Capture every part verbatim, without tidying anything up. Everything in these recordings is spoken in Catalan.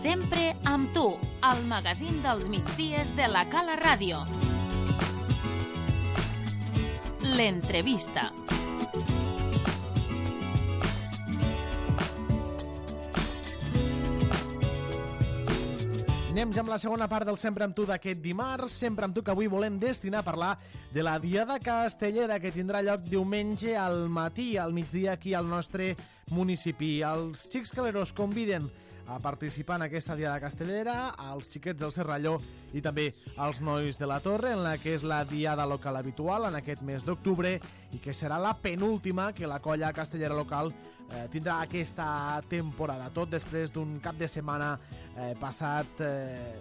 Sempre amb tu, al magazín dels migdies de la Cala Ràdio. L'entrevista. Anem ja amb la segona part del Sempre amb tu d'aquest dimarts. Sempre amb tu, que avui volem destinar a parlar de la Diada Castellera, que tindrà lloc diumenge al matí, al migdia, aquí al nostre municipi. Els xics caleros conviden a participar en aquesta Diada Castellera, als xiquets del Serralló i també als nois de la Torre, en la que és la diada local habitual en aquest mes d'octubre i que serà la penúltima que la colla castellera local eh, tindrà aquesta temporada. Tot després d'un cap de setmana eh, passat, eh,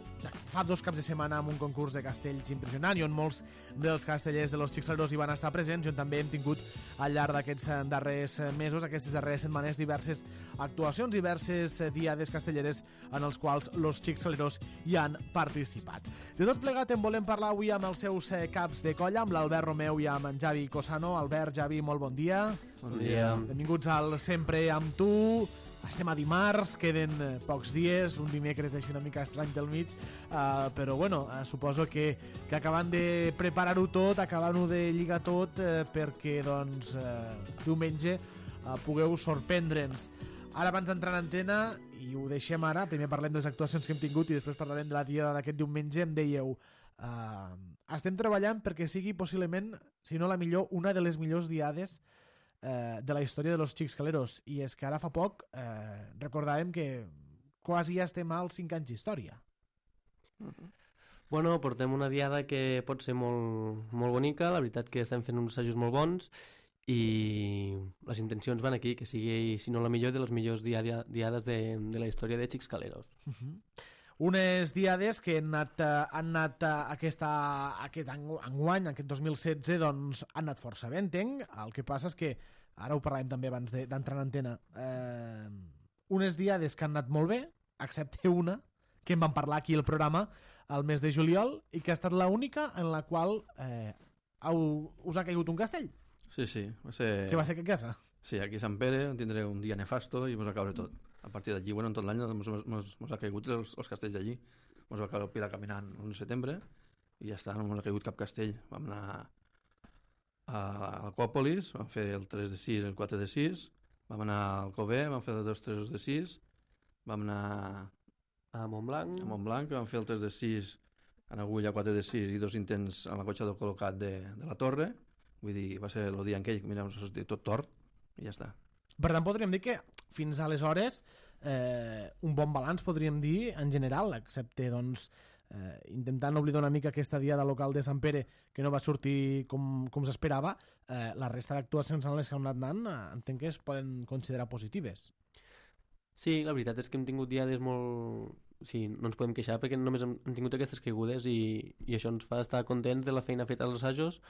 fa dos caps de setmana, amb un concurs de castells impressionant i on molts dels castellers de los xicleros hi van estar presents, i on també hem tingut al llarg d'aquests darrers mesos, aquestes darreres setmanes, diverses actuacions, diverses diades castelleres en els quals los xicleros hi han participat. De tot plegat en volem parlar avui amb els seus caps de colla, amb l'Albert Romeu i amb en Javi Cosano. Albert, Javi, molt bon dia. Bon dia. Benvinguts al Sempre amb tu. Estem a dimarts, queden pocs dies, un dimecres així una mica estrany del mig, uh, però bueno, uh, suposo que, que acabant de preparar-ho tot, acabant-ho de lligar tot, uh, perquè doncs uh, diumenge uh, pugueu sorprendre'ns. Ara, abans d'entrar en antena, i ho deixem ara, primer parlem de les actuacions que hem tingut i després parlarem de la diada d'aquest diumenge, em dèieu, uh, estem treballant perquè sigui possiblement, si no la millor, una de les millors diades eh, de la història de los xics caleros. I és que ara fa poc eh, recordàvem que quasi ja estem als cinc anys d'història. Uh-huh. Bueno, portem una diada que pot ser molt, molt bonica, la veritat que estem fent uns assajos molt bons i les intencions van aquí, que sigui, si no la millor, de les millors diada, diades de, de la història de xics caleros. Uh-huh. Unes diades que han anat, han anat aquesta, aquest enguany, aquest dos mil setze, doncs han anat força bé, entenc. El que passa és que, ara ho parlàvem també abans d'entrar en antena, eh, unes diades que han anat molt bé, excepte una, que en vam parlar aquí al programa el mes de juliol, i que ha estat l'única en la qual eh, heu, us ha caigut un castell. Sí, sí. Va ser... Que va ser a casa? Sí, aquí a Sant Pere tindré un dia nefasto i mos va caure tot. A partir d'allí, bueno, en tot l'any mos, mos, mos ha caigut els, els castells d'allí. Mos va caure el Pilar caminant l'onze de setembre i ja està, no mos ha caigut cap castell. Vam anar a l'Acòpolis, vam fer el tres de sis i el quatre de sis, vam anar al Alcover, vam fer els dos tres de sis, vam anar a Montblanc, a Montblanc, vam fer el tres de sis en agulla, quatre de sis i dos intents en la cotxa del col·locat de, de la Torre. Vull dir, va ser el dia en què mira, us dit tot tort i ja està. Per tant, podríem dir que fins aleshores eh, un bon balanç, podríem dir, en general, excepte doncs, eh, intentant oblidar una mica aquesta diada local de Sant Pere que no va sortir com, com s'esperava. Eh, la resta d'actuacions en les que hem anat anant eh, entenc que es poden considerar positives. Sí, la veritat és que hem tingut diades molt... Sí, no ens podem queixar perquè només hem, hem tingut aquestes caigudes i, i això ens fa estar contents de la feina feta als assajos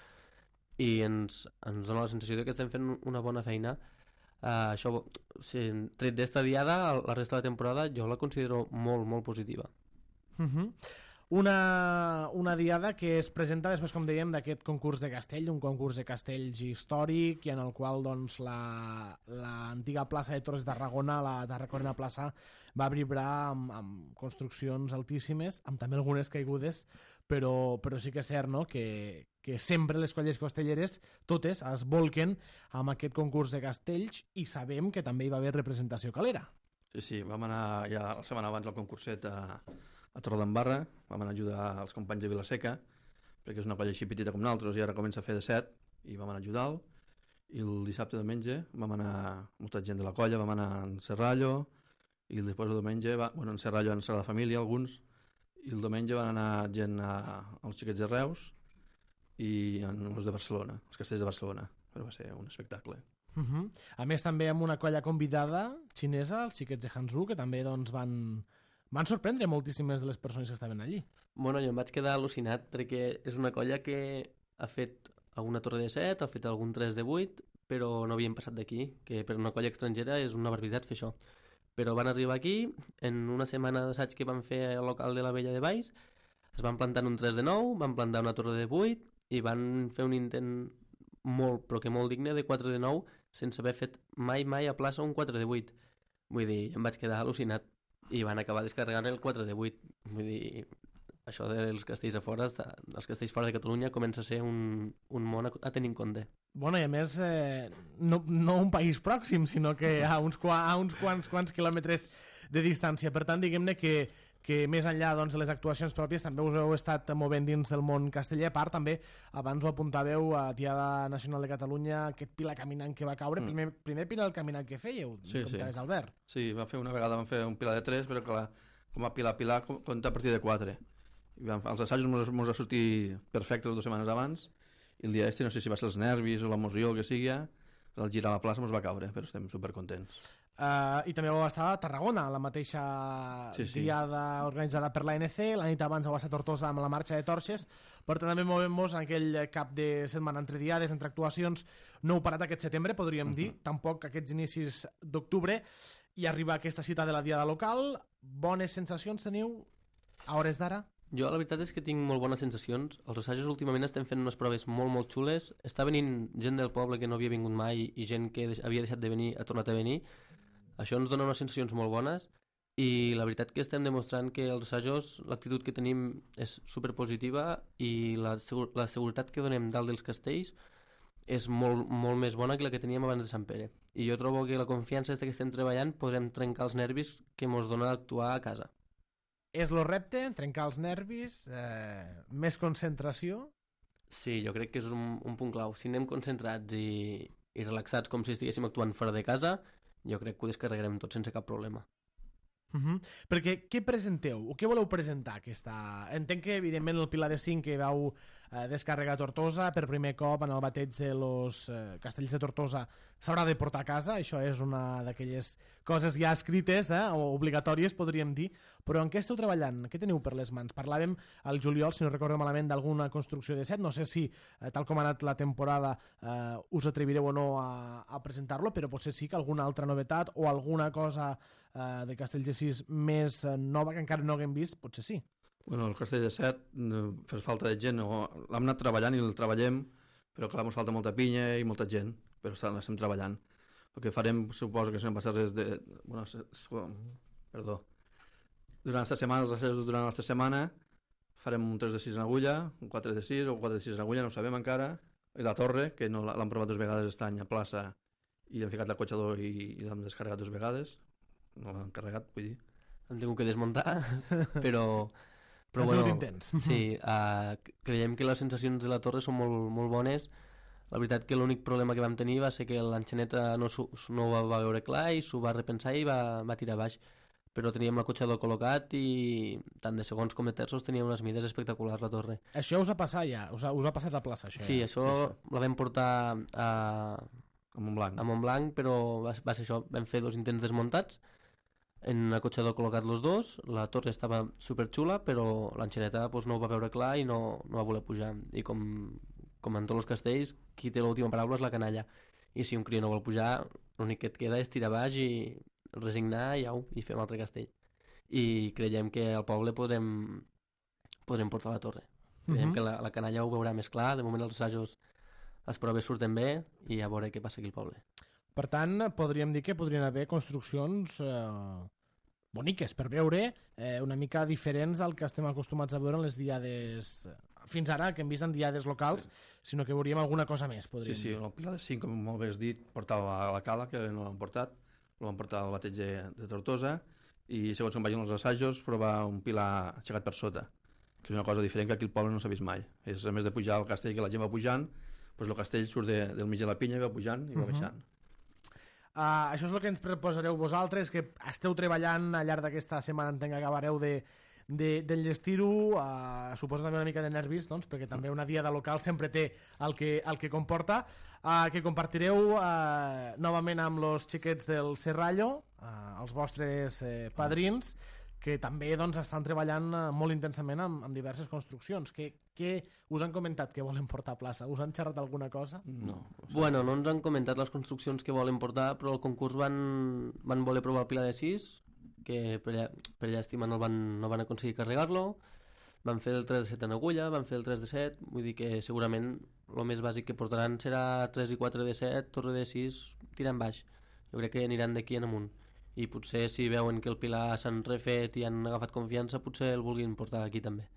i ens, ens dona la sensació de que estem fent una bona feina. Uh, això, si, tret d'esta diada, la resta de la temporada jo la considero molt, molt positiva. Uh-huh. Una, una diada que es presenta després, com dèiem, d'aquest concurs de castell, un concurs de castells històric i en el qual doncs, la, l'antiga plaça de Torres d'Arragona, la Tarraconina plaça, va vibrar amb, amb construccions altíssimes, amb també algunes caigudes, però, però sí que és cert, no?, que, que sempre les colles castelleres, totes, es volquen amb aquest concurs de castells i sabem que també hi va haver representació calera. Sí, sí, vam anar ja la setmana abans al concurset a, a Torredembarra, vam anar a ajudar els companys de Vilaseca, perquè és una colla així petita com nosaltres i ara comença a fer de set, i vam anar a ajudar-lo. I el dissabte diumenge vam anar molta gent de la colla, vam anar en Serrallo, i després el diumenge, va, bueno, en Serrallo en Sagrada Família, alguns, i el diumenge van anar gent a, als xiquets de Reus i els de Barcelona, els castells de Barcelona, però va ser un espectacle. Uh-huh. A més, també amb una colla convidada xinesa, els xiquets de Hanzhou, que també doncs, van, van sorprendre moltíssimes de les persones que estaven allí. Bueno, jo em vaig quedar al·lucinat perquè és una colla que ha fet alguna torre de set, ha fet algun tres de vuit, però no havien passat d'aquí, que per una colla estrangera és una barbaritat fer això. Però van arribar aquí, en una setmana d'assaig que van fer al local de la Vella de Baix, es van plantar un tres de nou, van plantar una torre de vuit i van fer un intent molt, però que molt digne, de quatre de nou, sense haver fet mai, mai a plaça un quatre de vuit. Vull dir, em vaig quedar al·lucinat. i van acabar descarregant el quatre de vuit. Vull dir, això dels castells a fora, els castells fora de Catalunya comença a ser un, un món a, a tenir en compte. Bueno, i a més, eh, no, no un país pròxim, sinó que a uns, a uns quants, quants quilòmetres de distància. Per tant, diguem-ne que, que més enllà doncs, de les actuacions pròpies també us heu estat movent dins del món casteller. A part, també, abans ho apuntàveu a Diada Nacional de Catalunya, aquest Pilar Caminant que va caure. Mm. Primer, primer Pilar Caminant que fèieu, sí, com sí. Albert. Sí, va fer una vegada vam fer un Pilar de tres, però clar, com a Pilar Pilar compta a partir de quatre. I vam, els assajos ens va sortir perfectes dues setmanes abans, i el dia este no sé si va ser els nervis o l'emoció o el que sigui, el girar a la plaça ens va caure, però estem supercontents. Uh, I també vau estar a Tarragona, la mateixa sí, sí. diada organitzada per l'A N C, la nit abans vau estar a Tortosa amb la marxa de torxes, per tant també movem-nos en aquell cap de setmana entre diades, entre actuacions. No heu parat aquest setembre, podríem uh -huh. dir, tampoc aquests inicis d'octubre, i arriba aquesta cita de la diada local. Bones sensacions teniu a hores d'ara? Jo la veritat és que tinc molt bones sensacions. Els assajos últimament estem fent unes proves molt molt xules. Està venint gent del poble que no havia vingut mai i gent que havia deixat de venir ha tornat a venir. Això ens dona unes sensacions molt bones i la veritat que estem demostrant que els assajos, l'actitud que tenim és superpositiva i la, segur, la seguretat que donem dalt dels castells és molt, molt més bona que la que teníem abans de Sant Pere. I jo trobo que la confiança que estem treballant podrem trencar els nervis que ens dona actuar a casa. És el repte, trencar els nervis, eh, més concentració? Sí, jo crec que és un, un punt clau. Si anem concentrats i, i relaxats com si estiguéssim actuant fora de casa, jo crec que ho descarregarem tot sense cap problema. Uh -huh. Perquè què presenteu? O què voleu presentar? Aquesta... Entenc que, evidentment, el Pilar de cinc que vau eh, descarregar a Tortosa per primer cop en el bateig de los eh, castells de Tortosa s'haurà de portar a casa. Això és una d'aquelles coses ja escrites, eh, o obligatòries, podríem dir. Però en què esteu treballant? Què teniu per les mans? Parlàvem al juliol, si no recordo malament, d'alguna construcció de set. No sé si, eh, tal com ha anat la temporada, eh, us atrevireu o no a, a presentar-lo, però potser sí que alguna altra novetat o alguna cosa Uh, de Castells de sis més uh, nova que encara no haguem vist, potser sí. Bueno, el Castell de set, per falta de gent, no, l'hem anat treballant i el treballem, però clar, ens falta molta pinya i molta gent, però l'estem treballant. El que farem, suposo que si no passa res de... Bueno, se, perdó. Durant aquesta setmana, els assajos durant aquesta setmana, farem un tres de sis en agulla, un quatre de sis o un quatre de sis en agulla, no ho sabem encara, i la torre, que no l'hem provat dues vegades aquest any a plaça, i hem ficat l'acotxador i, i l'hem descarregat dues vegades. No l'han carregat, vull dir. Hem tingut que desmuntar, però... però bueno, intents. Sí, uh, creiem que les sensacions de la torre són molt, molt bones. La veritat que l'únic problema que vam tenir va ser que l'enxaneta no, no ho va veure clar i s'ho va repensar i va, va tirar baix. Però teníem l'acotxador col·locat i tant de segons com de terços tenia unes mides espectaculars la torre. Això us ha passat ja? Us ha, us ha passat a plaça, això? Sí, ja? això sí, sí. La vam portar a, a Montblanc. a Montblanc, però va, va ser això. Vam fer dos intents desmuntats en un acotxador col·locat los dos, la torre estava superxula, però l'enxaneta pues, no ho va veure clar i no, no va voler pujar. I com, com en tots els castells, qui té l'última paraula és la canalla. I si un crió no vol pujar, l'únic que et queda és tirar baix i resignar i, au, i fer un altre castell. I creiem que al poble podrem, podrem portar la torre. Creiem uh -huh. que la, la canalla ho veurà més clar. De moment els assajos, les proves surten bé i a veure què passa aquí al poble. Per tant, podríem dir que podrien haver construccions eh, boniques per veure, eh, una mica diferents al que estem acostumats a veure en les diades fins ara, que hem vist en diades locals, sinó que veuríem alguna cosa més, podríem dir. Sí, sí, dir. el Pilar de cinc, com molt bé has dit, portava a la cala, que no l'han portat, el van portar al bateig de, de Tortosa, i segons com vagin els assajos, provar un pilar aixecat per sota, que és una cosa diferent que aquí al poble no s'ha vist mai. És, a més de pujar al castell, que la gent va pujant, doncs el castell surt de, del mig de la pinya i va pujant i va uh -huh. baixant. Uh, això és el que ens proposareu vosaltres, que esteu treballant al llarg d'aquesta setmana, entenc que acabareu de, de, d'enllestir-ho, uh, suposa també una mica de nervis, doncs, perquè també una diada local sempre té el que, el que comporta, uh, que compartireu uh, novament amb els xiquets del Serrallo, uh, els vostres uh, padrins, que també doncs, estan treballant uh, molt intensament amb, amb diverses construccions. Què, què us han comentat que volen portar a plaça? Us han xerrat alguna cosa? No. Bueno, no ens han comentat les construccions que volen portar, però al concurs van, van voler provar el Pilar de sis, que per, lla, per llàstima no van, no van aconseguir carregar-lo. Van fer el tres de set en agulla, van fer el tres de set, vull dir que segurament el més bàsic que portaran serà tres i quatre de set, torre de sis, tirant baix. Jo crec que aniran d'aquí en amunt. i potser si veuen que el Pilar s'han refet i han agafat confiança, potser el vulguin portar aquí també.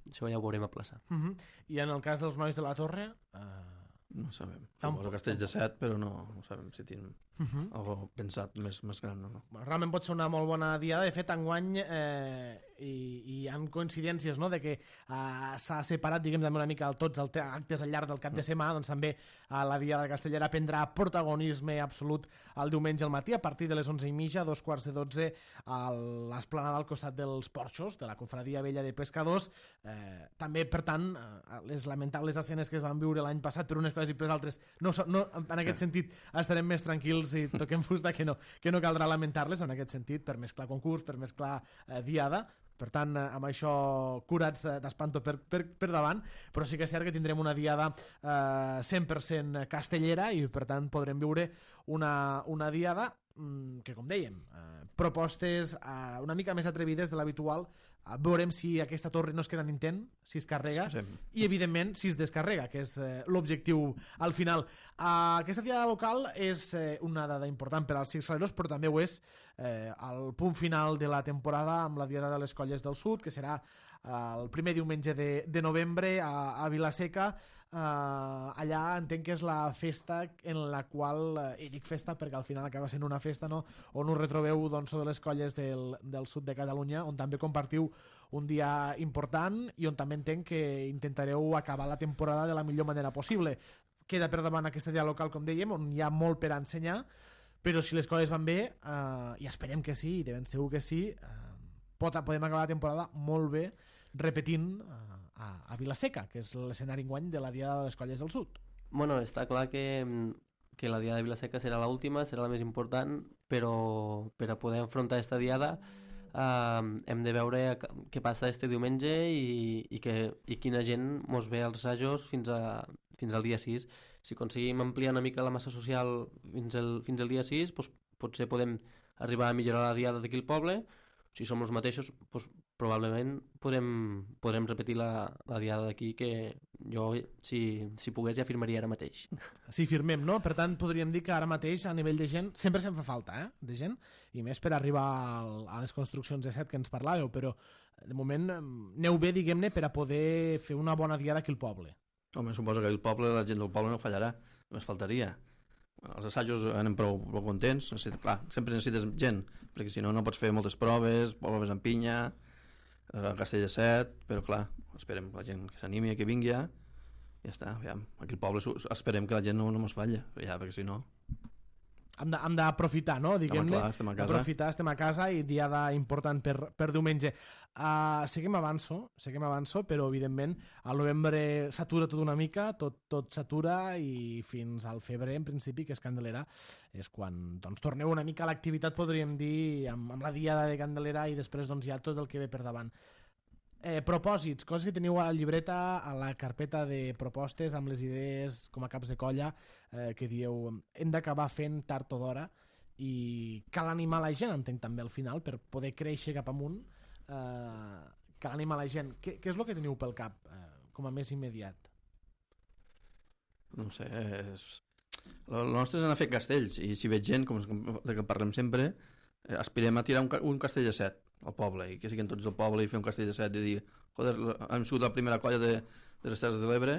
Això ja ho veurem a plaça. Uh -huh. I en el cas dels nois de la Torre... Uh... No sabem. Suposo que Castells de set, però no, no sabem si tenen uh -huh. algo pensat més, més gran o no. Realment pot ser una molt bona diada. De fet, enguany eh, hi, hi ha coincidències, no?, de que eh, s'ha separat, diguem, també una mica tots els actes al llarg del cap de setmana, doncs també eh, la Diada Castellera prendrà protagonisme absolut el diumenge al matí, a partir de les onze i mitja, dos quarts de dotze, a l'esplanada al costat dels porxos, de la Confraria Vella de Pescadors. Eh, també, per tant, eh, les lamentables escenes que es van viure l'any passat per unes coses i per altres, no, no, en aquest sentit estarem més tranquils i toquem fusta que no, que no caldrà lamentar-les en aquest sentit, per mesclar concurs, per mesclar eh, diada. Per tant, eh, amb això curats d'espanto per, per, per davant, però sí que és cert que tindrem una diada eh, cent per cent castellera i per tant podrem viure una, una diada mm, que, com dèiem, eh, propostes eh, una mica més atrevides de l'habitual. Eh, veurem si aquesta torre no es queda en intent, si es carrega, Sí, sí. i evidentment si es descarrega, que és eh, l'objectiu al final. Eh, aquesta diada local és eh, una dada important per als ciclistes, però també ho és eh, el punt final de la temporada amb la Diada de les Colles del Sud, que serà eh, el primer diumenge de, de novembre a, a Vilaseca. Uh, allà entenc que és la festa en la qual, uh, i dic festa perquè al final acaba sent una festa, no?, on us retrobeu, doncs, de les colles del, del sud de Catalunya, on també compartiu un dia important i on també entenc que intentareu acabar la temporada de la millor manera possible. Queda per davant aquesta dia local, com dèiem, on hi ha molt per ensenyar, però si les coses van bé, uh, i esperem que sí, i de ben segur que sí, uh, pot, podem acabar la temporada molt bé repetint uh, a, a Vilaseca, que és l'escenari enguany de la Diada de les Colles del Sud. Bueno, està clar que, que la Diada de Vilaseca serà l'última, serà la més important, però per a poder enfrontar aquesta Diada eh, hem de veure què passa este diumenge i, i, que, i quina gent mos ve als assajos fins, a, fins al dia sis. Si aconseguim ampliar una mica la massa social fins al, fins al dia sis, doncs potser podem arribar a millorar la Diada d'aquí al poble. Si som els mateixos, doncs probablement podrem, podrem repetir la, la Diada d'aquí, que jo, si, si pogués, ja firmaria ara mateix. Sí, firmem, no? Per tant, podríem dir que ara mateix, a nivell de gent, sempre se'n fa falta, eh?, de gent, i més per arribar al, a les construccions de set que ens parlàveu, però de moment aneu bé, diguem-ne, per a poder fer una bona diada aquí al poble. Home, suposo que el poble, la gent del poble no fallarà, només faltaria. Els assajos anem prou, prou contents, necessita, clar, sempre necessites gent, perquè si no no pots fer moltes proves, proves en pinya, a Castell de set, però clar, esperem que la gent que s'animi, que vingui ja, ja està, ja, aquí al poble esperem que la gent no, no mos falla, ja, perquè si no... Hem d'aprofitar, no? Diguem-ne, estem a casa. aprofitar, estem a casa i diada important per, per diumenge. Uh, seguim avanço, seguim avanço, però evidentment al novembre s'atura tot una mica, tot, tot s'atura i fins al febrer, en principi, que és Candelera, és quan doncs, torneu una mica a l'activitat, podríem dir, amb, amb la diada de Candelera i després doncs, ja tot el que ve per davant. Eh, propòsits, coses que teniu a la llibreta, a la carpeta de propostes amb les idees com a caps de colla, eh, que dieu hem d'acabar fent tard o d'hora i cal animar la gent, entenc també al final, per poder créixer cap amunt. Eh, cal animar la gent. Què, què és el que teniu pel cap eh, com a més immediat? No sé, és... el nostre és anar a fer castells i si veig gent, com de que parlem sempre, eh, aspirem a tirar un, un castell de set al poble i que siguin tots del poble i fer un castell de set i dir, joder, hem sigut la primera colla de, de les Terres de l'Ebre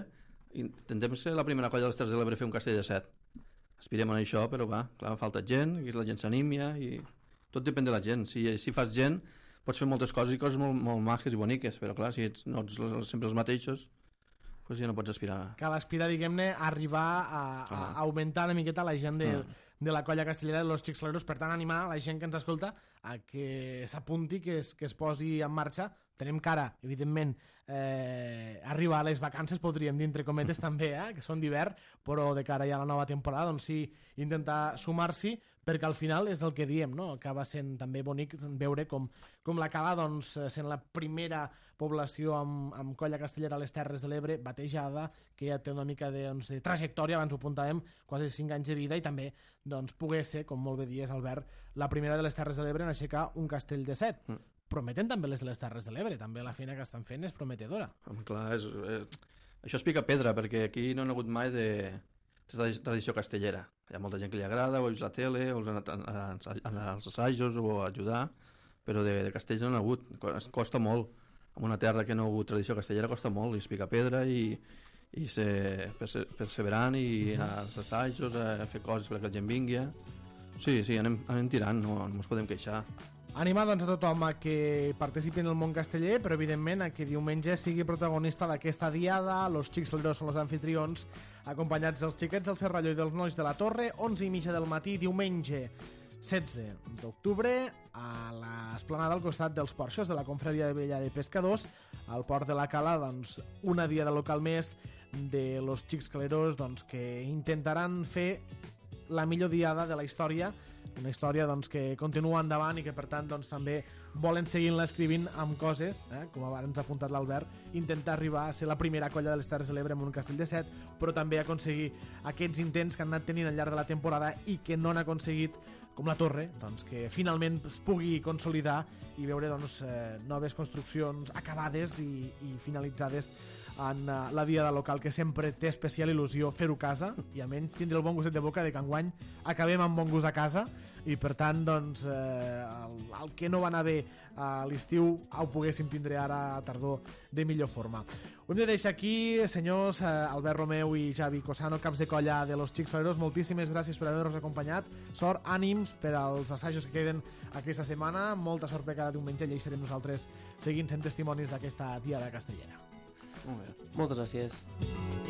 i intentem ser la primera colla de les Terres de l'Ebre a fer un castell de set. Aspirem a això, però va, clar, falta gent i la gent s'anímia i tot depèn de la gent. Si, si fas gent pots fer moltes coses i coses molt, molt maques i boniques, però clar, si ets no ets sempre els mateixos, pues ja no pots aspirar. Cal aspirar, diguem-ne, a arribar a, a, a augmentar una miqueta la gent de, mm. de la colla castellera de los Xixleros, per tant animar la gent que ens escolta a que s'apunti, que es, que es posi en marxa. Tenem cara, evidentment, eh, arribar a les vacances, podríem dir, entre cometes també, eh, que són d'hivern, però de cara ja a la nova temporada, doncs sí, intentar sumar-s'hi, perquè al final és el que diem, no? Acaba sent també bonic veure com, com la Cala, doncs, sent la primera població amb, amb colla castellera a les Terres de l'Ebre, batejada, que ja té una mica de, doncs, de trajectòria, abans ho apuntàvem, quasi cinc anys de vida, i també doncs, poder ser, com molt bé dies, Albert, la primera de les Terres de l'Ebre en aixecar un castell de set. Mm. Prometen també les de les Terres de l'Ebre, també la feina que estan fent és prometedora. Clar, és, és... això es pica pedra, perquè aquí no han hagut mai de, tradició castellera. Hi ha molta gent que li agrada, o ha vist la tele, o els han anat als assajos o a ajudar, però de, de castells no n'ha hagut, costa molt. En una terra que no ha hagut tradició castellera costa molt, i es pica pedra i, i ser perse perseverant i als assajos, a fer coses perquè la gent vingui. Sí, sí, anem, anem tirant, no, no ens podem queixar. Animar doncs, a tothom a que participi en el món casteller, però evidentment a que diumenge sigui protagonista d'aquesta diada. Los Xixeleros són els anfitrions, acompanyats dels xiquets del Serrallo i dels nois de la Torre, onze i mitja del matí, diumenge setze d'octubre, a l'esplanada al costat dels porxos de la Confraria de Vella de Pescadors, al Port de la Cala, doncs, una diada local més de Los Xixeleros, doncs, que intentaran fer la millor diada de la història, una història doncs, que continua endavant i que per tant doncs, també volen seguir-la escrivint amb coses, eh? Com abans ha apuntat l'Albert, intentar arribar a ser la primera colla de les Terres de l'Ebre en un castell de set, però també aconseguir aquests intents que han anat tenint al llarg de la temporada i que no han aconseguit, com la Torre, doncs, que finalment es pugui consolidar i veure doncs, eh, noves construccions acabades i, i finalitzades en uh, la diada local, que sempre té especial il·lusió fer-ho a casa i a menys tindre el bon gustet de boca de que enguany acabem amb bon gust a casa i per tant doncs, eh, el, el que no va anar bé a l'estiu ho poguéssim tindre ara a tardor de millor forma. Ho hem de deixar aquí, senyors eh, Albert Romeu i Xavi Cosano, caps de colla de Los Xixeleros, moltíssimes gràcies per haver-nos acompanyat, sort, ànims per als assajos que queden aquesta setmana, molta sort per cada diumenge i hi serem nosaltres seguint sent testimonis d'aquesta diada castellera. Molt bé. Moltes gràcies.